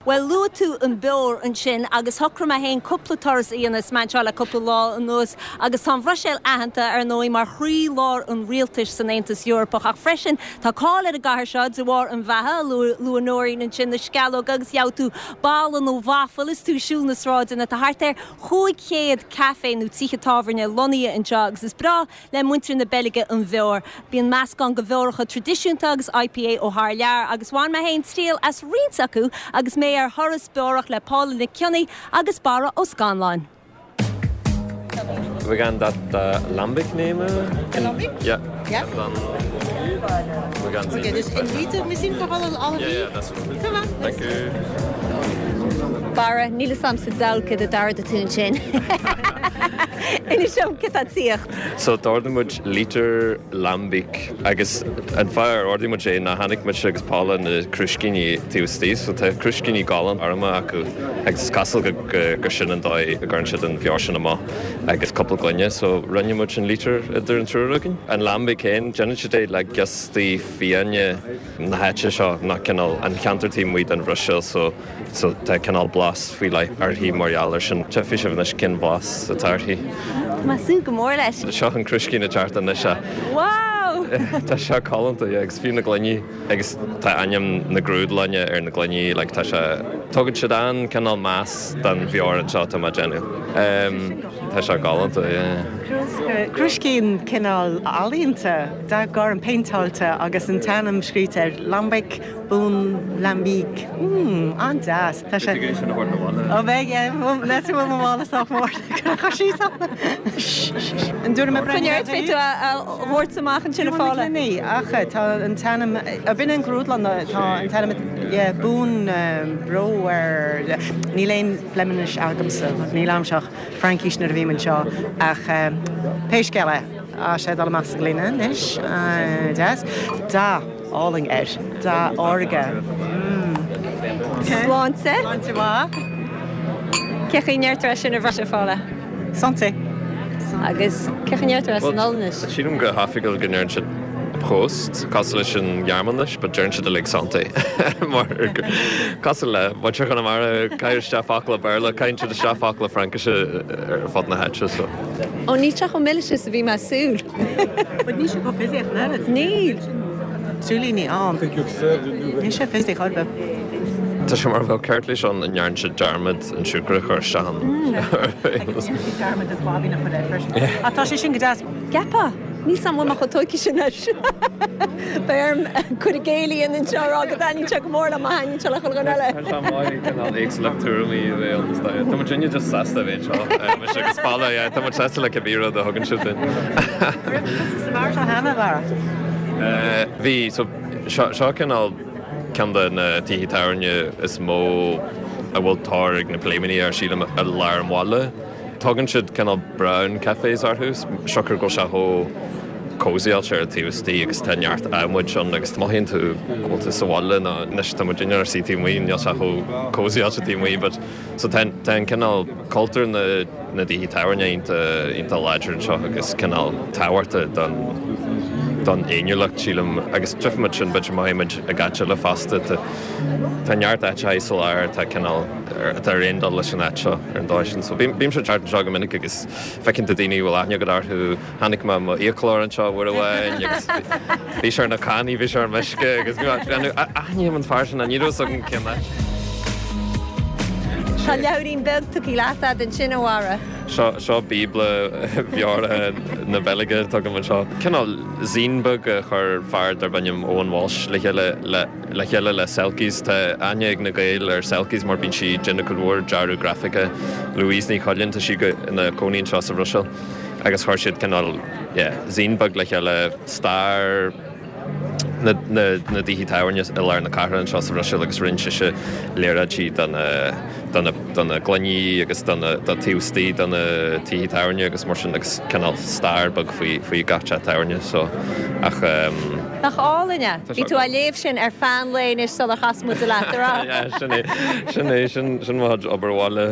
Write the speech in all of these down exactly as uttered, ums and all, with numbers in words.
Well luaigh tú an beoir ansin agus shocraigh mé féin cúpla turas a dhéanamh anseo le cúpla lá anuas agus tá an Bhruiséil aitheanta ar ndóigh mar chroílár an rialtais san Aontas Eorpach ach freisin tá cáil ar an gcathair seo de bharr an bheatha luaigh Nóirín ansin na sceallóga agus gheobhaidh tú balla nó waffle is tú ag siúl na sráideanna tá thart ar chúig chéad caife nó tithe tábhairne lonnaithe anseo agus is breá le muintir na Beilge an bheoir. Bíonn meascán de bheoracha traidisiúnta agus IPA ó thar lear agus bhain mé féin triail as roinnt acu agus mé ar thuras beorach le Paula Nic Cionnaith agus Barra Ó Scanláin. We gaan dat uh, lambic nemen. De lambic? Ja. Ja. En dan we gaan zien. Oké, dus een liter misschien voor alle, alle Ja, vier? ja, dat is goed. Ça va. Dank u. Barra níl a fhios agam sa diabhal cad a d'ordaigh tú ansin. Inis dom cad tá tíocht. So d'ordaigh muid liter lambic agus an fáth ar ordaigh muid é ná chonaic muid agus Paula na crúiscíní taobh istigh, so tá crúiscíní galánta arma acu agus is cosúil go, go, gur sin an dóigh a gcuireann siad an bheoir sin amach agus cúpla gloine, so rinne muid an liter idir an triúr againn. An lambic féin déanann siad é le giostaí fiáine na háite seo ná cineál an ceantar taobh amuigh den Bhruiséil so so tá cineál blas faoi leith uirthi mar gheall air sin Tchífidh sibh anois cén blas atá uirthi. Masú go mór leis. Seo an crúiscín ceart anois se. Wow! Tá sé galánta agus fiú na gloiní agus tá ainm na grúdlainne ar na gloiní like, tá sé tugann siad an cineál meas don bheoir anseo tá mar déanamh. Um, tá sé galánta yeah. Crúiscín cineál ealaíonta dath gorm péinteáilte agus an t-ainm scríte ar Lambic Boon Lambic. Mm, an-deas. Tá sé Ó bheidh le mála mór sí An dúr me Coinneart fé tú a thabhairt amach ansin a Phaula. Ní ach tá an t-ainm a bhíonn an grúdlann tá an t-ainm Boon Brouwer níl aon Fhlamannáis agamsa níl agam ach Fraincis nuair a bhí anseo ach pé scéal é a sé dul amach sa ghloine anois deas dath álainn air dath órga. Sláinte? Sláinte mhaith. Cén chaoi a ndeirtear sin i bhFraincis a Phaula. Santé. Agus cén chaoi a ndeirtear san Ollainnis. Sílim go hoifigiúil go ndeireann siad Prost cosúil leis an Ghearmáinis, but deireann siad like santé mar cosúil le muintir Chonamara caitheann isteach focla Béarla caitheann siad isteach focla Fraincise ar fud na háite so. Ó ní teach mí a bhí measúl. But ní sé go fizzy ach Níl. Súlíní an. Ní sé fizzy chorbe. Tá sé mar bheadh ceart leis an ndearna siad dearmad an siúcra a chur isteach. Dearmad is bábí na chud freisin. A tá sé sin go deas. Gepa, ní sam bhfuil chu sin leis. Beirm chu géalaí an seo go daní se go mór le hain se le chun eile. Éagsúlacht tuairimí Tá muid sinne just sásta bheith seo agus Paula tá muid sásta le cibé rud a thugann siad dúinn. Sa mar seo cheana Bharra. Bhí so seo cineál ceann de na tithe tábhairne is mó a bhfuil tóir ag na pléimíní ar sílim i lár an bhaile. Tugann siad cineál brown cafés orthu, siocair go bhfuil sé chomh cozyáilte ar taobh istigh agus tá neart adhmaid ann agus mothaíonn tú go bhfuil tú sa bhaile ná anois tá muid ar suí taobh amuigh níl sé chomh cozyáilte taobh amuigh, but so tá tá an cineál cultúr na na dtithe tábhairne iontach iontach láidir anseo agus cineál tábhachtach don don fhéiniúlacht sílim agus tchífimid sin b'fhéidir mothaímid i gcáit eile fosta tá tá neart áit sa lár tá cineál atá ar aon dul leis an áit seo ar an dóigh sin. So bímse thart anseo go minic agus feiceann tú daoine bhfuil aithne agat orthu tháinig mé mo fhiaclóir anseo uair amháin agus bhí sé ar na cannaí bhí sé ar meisce agus aithním an fear sin an ní raibh agam cén áit. Tá leabhairín beag tugtha leat ansin a Bharra. Seo seo bíobla bheora na Beilge tugaim anseo. Cineál zine beag a chuir fear darb ainm Owen Walsh le chéile le le chéile le Selkies tá aithne ag na Gaeil ar Selkies mar bíonn sí ag déanamh cuid mhór dearadh grafaice Louise Ní Choileáin tá sí go ina cónaí anseo sa Bhruiséil agus chuir siad cineál yeah, zine beag le chéile stair na, na, na dtithe tábhairne i lár na cathrach anseo sa Bhruiséil agus rinne sise léaráidí don don don na gloiní agus don do taobh istigh don na tithe tábhairne agus mar sin agus cineál stair beag faoi faoi gach teach tábhairne so ach um, Nach álainn é Tá Bhí sé tú á léamh sin ar feadh an lae anois sular chas muid leat ar Yeah, sin é sin é sin sin mo obair bhaile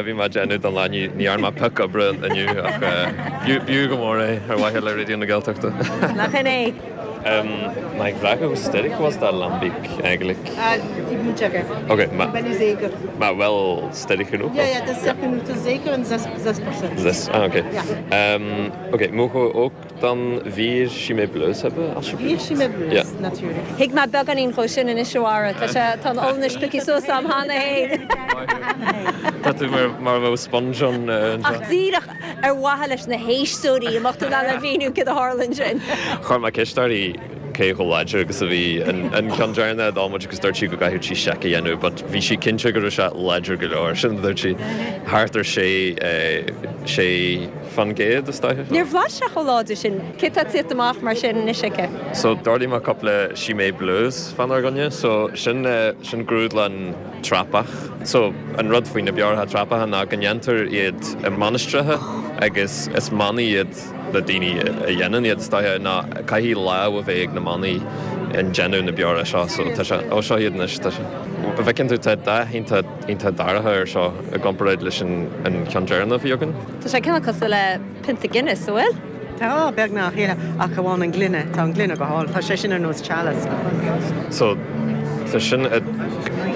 bhí mé ag déanamh don lá ní ní dhearna mé pioc oibre inniu ach b'fhiú go mór é ar mhaithe le Raidió na Gaeltachta. Nach in é. Um, mag ik vragen hoe sterk was dat lambiek eigenlijk? Uh, ik moet checken. Oké, okay, maar, Ik ben niet zeker. Maar wel sterk genoeg? Ja, ja, dat is sterk genoeg. Dat is zeker een zes procent. Zes, ah, oké. Ja. Okay. Um, oké, okay, mogen we ook dan vier Chimay Bleus hebben, alsjeblieft? Vier Chimay Bleus, ja. Natuurlijk. Thuig mé beagáinín dhó sin anois, a Mháire. Tá sé tá an Ollainnis pioctha suas agam cheana féin. Tá tú mar mar bheadh sponge an Ach díreach ar mhaithe leis na héisteoirí, an mbeadh tú in ann a mhíniú cad a tharla ansin. Chuir mé ceist uirthi cé chomh láidir agus a bhí an ceann deireanach a d'ól muid agus dúirt sí go gcaithfeadh sí seic a dhéanamh, but bhí sí cinnte go raibh sé láidir go leor. Sin dúirt sí thart ar sé sé faoin gcéad is dóiche. Níor bhlais sé chomh láidir sin. Cé tá tite amach mar sin anois aici? So d'ordaigh mé cúpla Chimay Bleus fánár gcoinne, so sin sin grúdlann trapach. So an rud faoi na beoracha trapacha ná go ndéantar iad i mainistreacha agus is manaigh iad na daoine a dhéanann iad is dóiche ná caithfidh lámh a bheith ag na manaigh in déanamh na beora seo, so tá sé ó seo iad anois tá sé. Bhfeiceann tú tá dath iontach iontach dorcha air seo i gcomparáid leis an an ceann deireanach a bhí againn. Tá sé cineál cosúil le pionta Guinness, an bhfuil? Tá beagnach chéile ach amháin an gloine, tá an gloine go hálainn, tá sé sin ar nós chalice. So tá sin at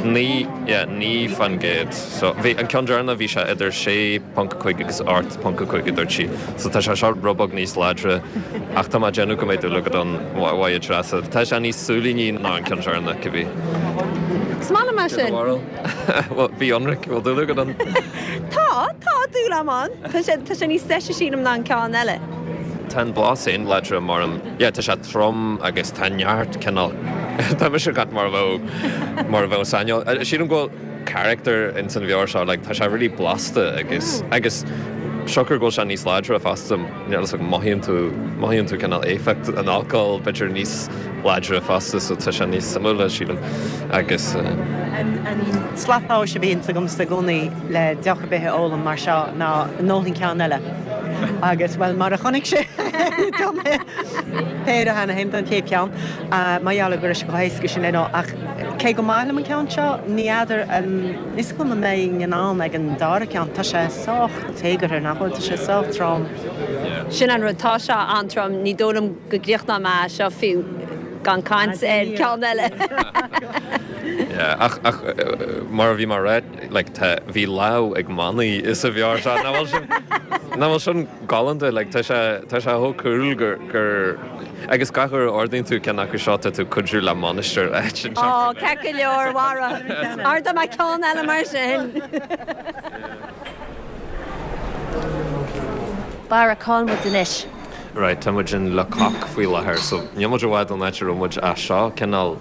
naoi yeah, naoi faoin gcéad. So bhí an ceann deireanach bhí sé idir sé ponc a cúig agus ocht ponc a cúig a dúirt sí. So tá sé seo rud beag níos láidre ach tá mé ag déanamh go mbeidh dúil agat ann mhaith Treasa. Tá sé níos súilíní ná an ceann deireanach cibé. Is maith liom é sin. Well, bí ionraic, bhfuil dúil agat ann? Tá, tá dúil agam ann. Tá sé tá sé níos deise sílim ná an ceann eile. Tá an blas féin láidre mar an yeah, tá sé trom agus tá neart cineál Tá mise ag caint mar a bheadh mar a bheadh saineol. Sílim go bhfuil character in san bheoir seo, like, tá sé really blasta agus agus siocair go bhfuil sé níos láidre fosta níl a fhios agam mothaíonn tú mothaíonn tú cineál éifeacht an alcohol b'fhéidir níos láidre fosta so tá sé níos suimiúla sílim agus An an slat tomhais a bhíonn agamsa i gcónaí le deoch ar bith a ólaim mar seo ná an ólfainn ceann eile. Agus well mar a chonaic sé tá mé péire cheana féin don chéad cheann mar gheall go raibh sé chomh héasca sin le ach cé go maith liom an ceann seo ní fheadar is cuma an mbeinn in ann ag an dara ceann tá sé sách téagartha nach bhfuil tá sé sách trom. Sin an rud tá sé an-trom ní dóigh liom go gcríochnóidh mé seo fiú gan caint ar ceann eile. Yeah, ach ach mar a bhí mé ag rá like tá bhí lámh ag manaigh sa bheoir seo nach bhfuil sin nach bhfuil sin galánta like tá sé tá sé chomh cool gur gur agus gach uair a ordaíonn tú ceann acu seo tá tú ag cuidiú le mainistir áit Ó, ceart go leor, a Mháire. Ordóidh mé ceann eile mar sin. Barra, cá bhfuil muid anois? Right, tá muid in Le Coq faoi láthair, so níl muid i bhfad ón áit a raibh muid ach seo cineál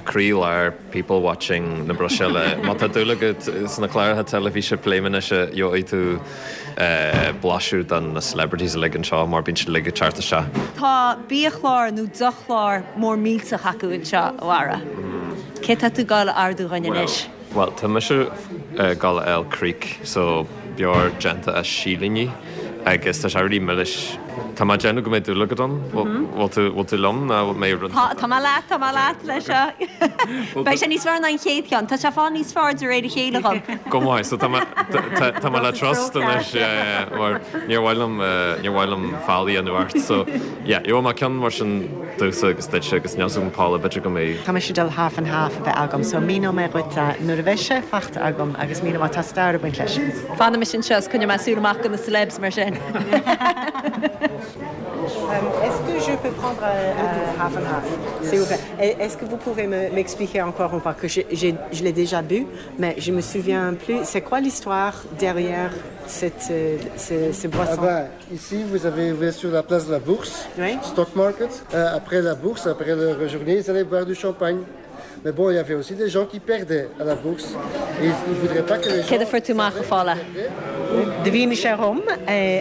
croílár people watching na Bruiséile. Má tá dúil agat sna cláracha teilifíse Pléimeannaise gheobhaidh tú blaiseadh de na celebrities uilig anseo mar bíonn siad uilig ag teacht isteach. Tá biachlár nó deochchlár mór millteach acu anseo, a Bharra. Cé tá tú ag gabháil a ordú dhúinn anois? Bhuel, tá mise ag gabháil a fháil kriek, so beoir déanta as silíní agus tá sé really milis. Tá mé ag déanamh go mbeidh dúil agat ann. Bhfuil tú, bhfuil tú liom nó bhfuil mé rud? Tá, tá mé leat, tá mé leat leis seo. Beidh sé níos fearr ná an chéad cheann. Tá sé ag fáil níos fearr de réir a chéile dhom. Go maith, so tá mé, tá, tá mé le trust anois, yeah, yeah, mar níor mhaith liom, níor mhaith liom faillí a dhéanamh ort. So, yeah, gheobhaidh mé ceann mar sin domhsa agus duitse agus níl 's agam Paula, b'fhéidir go mbeidh. Tá mise ag dul half and half a bheith agam, so míneoidh mé dhuit nuair a bheidh sé faighte agam agus míneoidh mé tá stair ag baint leis. Fanfaidh mise anseo is coinneoidh mé súil amach do na celebs mar sin. Est-ce que je peux prendre euh, half and half, s'il vous plaît? Est-ce que vous pouvez m'expliquer encore une fois que je, je, je l'ai déjà bu, mais je me souviens plus. C'est quoi l'histoire derrière cette, ce, ce boisson? Ah ben, ici, vous avez ouvert sur la place de la Bourse, oui. Stock Market. Euh, après la bourse, après la journée, ils allaient boire du champagne. Mais bon, il y avait aussi des gens qui perdaient à la bourse. Et ils ne voudraient pas que les gens... Céard a fuair tú amach, a Phaula? Do mhínigh sé dhom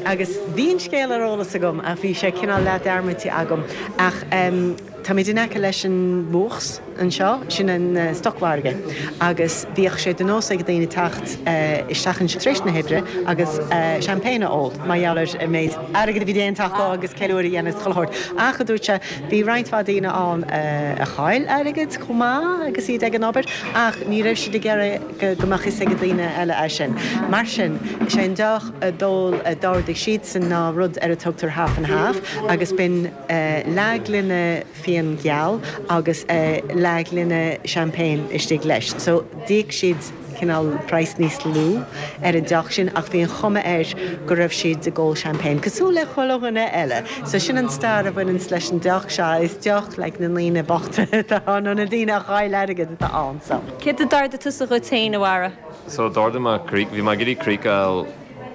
agus bhí an scéal ar eolas agam ach bhí sé cineál leath dearmadta agam. Ach táimid in aice leis an Bourse anseo, sin an stocmhargadh, agus bhíodh sé de nós ag daoine teacht isteach anseo tar éis na hoibre agus champagne a ól mar gheall ar an méid airgid a bhí déanta acu agus ceiliúradh a dhéanamh is chuile shórt. Ach, a dúirt sé, bhí roinnt mhaith daoine ann a chaill airgead chomh maith agus iad ag an obair ach ní raibh siad ag iarraidh go mbeadh fhios ag daoine eile é sin. Mar sin, sé an deoch a d'ól a d'ordaigh siadsan ná rud ar a tugtar half and half agus b'in leathghloine fíona fíon geal agus leathghloine champagne istigh leis. So d'íoc siad cineál praghas níos lú ar an deoch sin ach bhí an chuma air go raibh siad ag ól champagne cosúil le chuile dhuine eile. So sin an stair a bhaineann leis an deoch seo is deoch le na ndaoine bochta atá nó na daoine a chaill airgead atá ann so. Céard a d'ordaigh tusa dhuit féin a Mháire? So d'ordaigh mé crích bhí mé ag iarraidh crích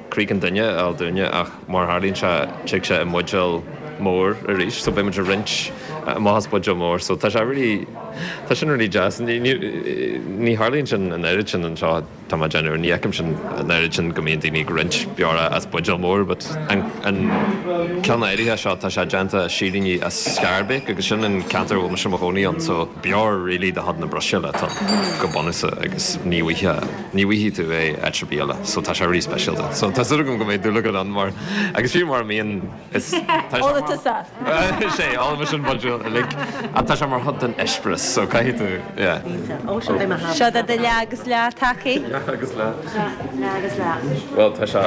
crích an duine a fháil dúinne ach mar tharlaíonn sé tig sé i mbuidéal mór arís, so beidh muid ag roinnt amach as buidéal mór, so tá sé really tá sin really deas. Ní ní ní tharlaíonn sin an oiread sin anseo tá mé ag déanamh, ní fheicim sin an oiread sin go mbíonn daoine ag roinnt beora as buidéal mór, but an an ceann áirithe seo tá sé déanta as silíní as Schaerbeek agus sin an ceantar a bhfuil mise i mo chónaí ann, so beor really de chuid na Bruiséile atá ann go bunúsach agus ní bhfaighidh ní bhfaighidh tú é áit ar bith eile, so tá sé really speisialta. So tá súil agam go mbeidh dúil agat ann mar agus fiú mar a mbíonn is tá sé Ólfaidh tusa. Sé, ólfaidh mise an buidéal uilig ach tá sé mar chuid den eispéireas so caithfidh tú yeah. Ó seo beidh mé thar. Seo do leath agus leath tacaí. Leath agus leath. Leath agus leath. Bhuel tá sé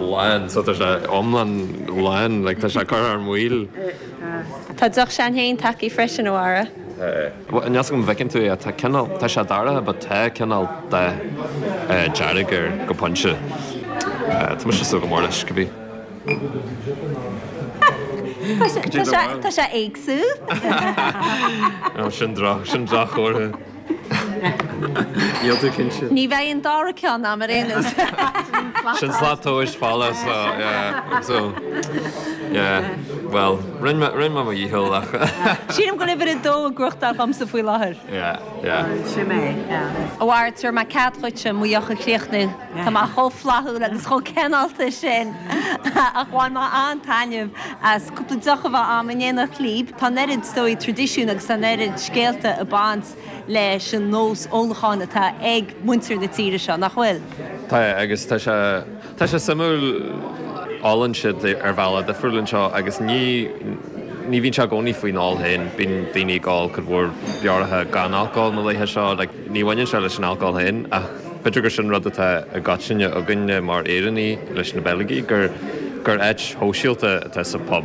lán so tá sé iomlán lán like tá sé curtha ar maoil. Tá deoch s'againn féin tacaí freisin a Mháire. Níl a fhios agam an bhfeiceann tú é tá cineál tá sé dorcha but tá cineál dath dearg air go pointe. Tá mise ag súil go mór leis cibé. Tá sé tá sé éagsúil. Sin droch sin droch-chomhartha. Níl tú cinnte. Ní bheidh an dara ceann agam ar aon nós. Sin slat tomhais falla so yeah so yeah well rinne mé rinne mé mo dhícheall ach. Sílim go bhfuil uimhir a dó ag gnóthachtáil dhomsa faoi láthair. Yeah yeah. Sin mé yeah. A Mháire, tabharfaidh mé cead dhuitse mo dheoch a chríochnú. Tá mé chomh flaithiúil agus chomh cineálta sin ach bhain mé an-taitneamh as cúpla deoch a bheith agam in éineacht libh. Tá an oiread is dóigh traidisiún agus tá an oiread scéalta ag baint leis an nós ólacháin atá ag muintir na tíre seo, nach bhfuil? Tá agus tá sé tá sé suimiúil ólann siad ar bhealach difriúil anseo agus ní ní bhíonn sé i gcónaí faoin ól féin, bíonn daoine ag ól cuid mhór beoracha gan alcól na laetha seo, like ní bhaineann sé leis an alcól féin ach b'fhéidir gur sin rud atá i gcoitinne againne mar Éireannaigh leis na Beilgigh gur gur áit shóisialta atá sa pub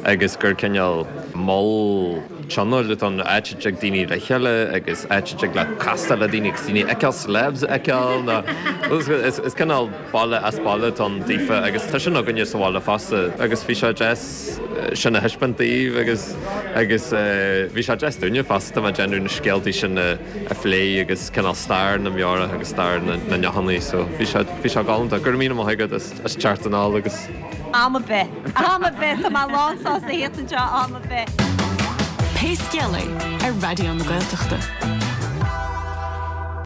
agus gur cineál mol tionóil atá ann, áit a dtig daoine le chéile agus áit a dtig le castáil le daoine agus daoine a fheiceáil, celebs a fheiceáil nó is is cineál baile as baile atá ann daofa agus tá sin againne sa bhaile fosta agus bhí sé deas sin a thaispeáint daoibh agus agus bhí sé deas dúinne fosta tá mé ag déanamh na scéaltaí sin a a phlé agus cineál stair na mbeorach agus stair na na ndeochannaí so bhí sé bhí sé galánta. Go raibh míle maith agat as as teacht anall agus. Am ar bith. Am ar bith tá mé lánsásta a theacht anseo am ar bith. Pé scéal é ar Raidió na Gaeltachta.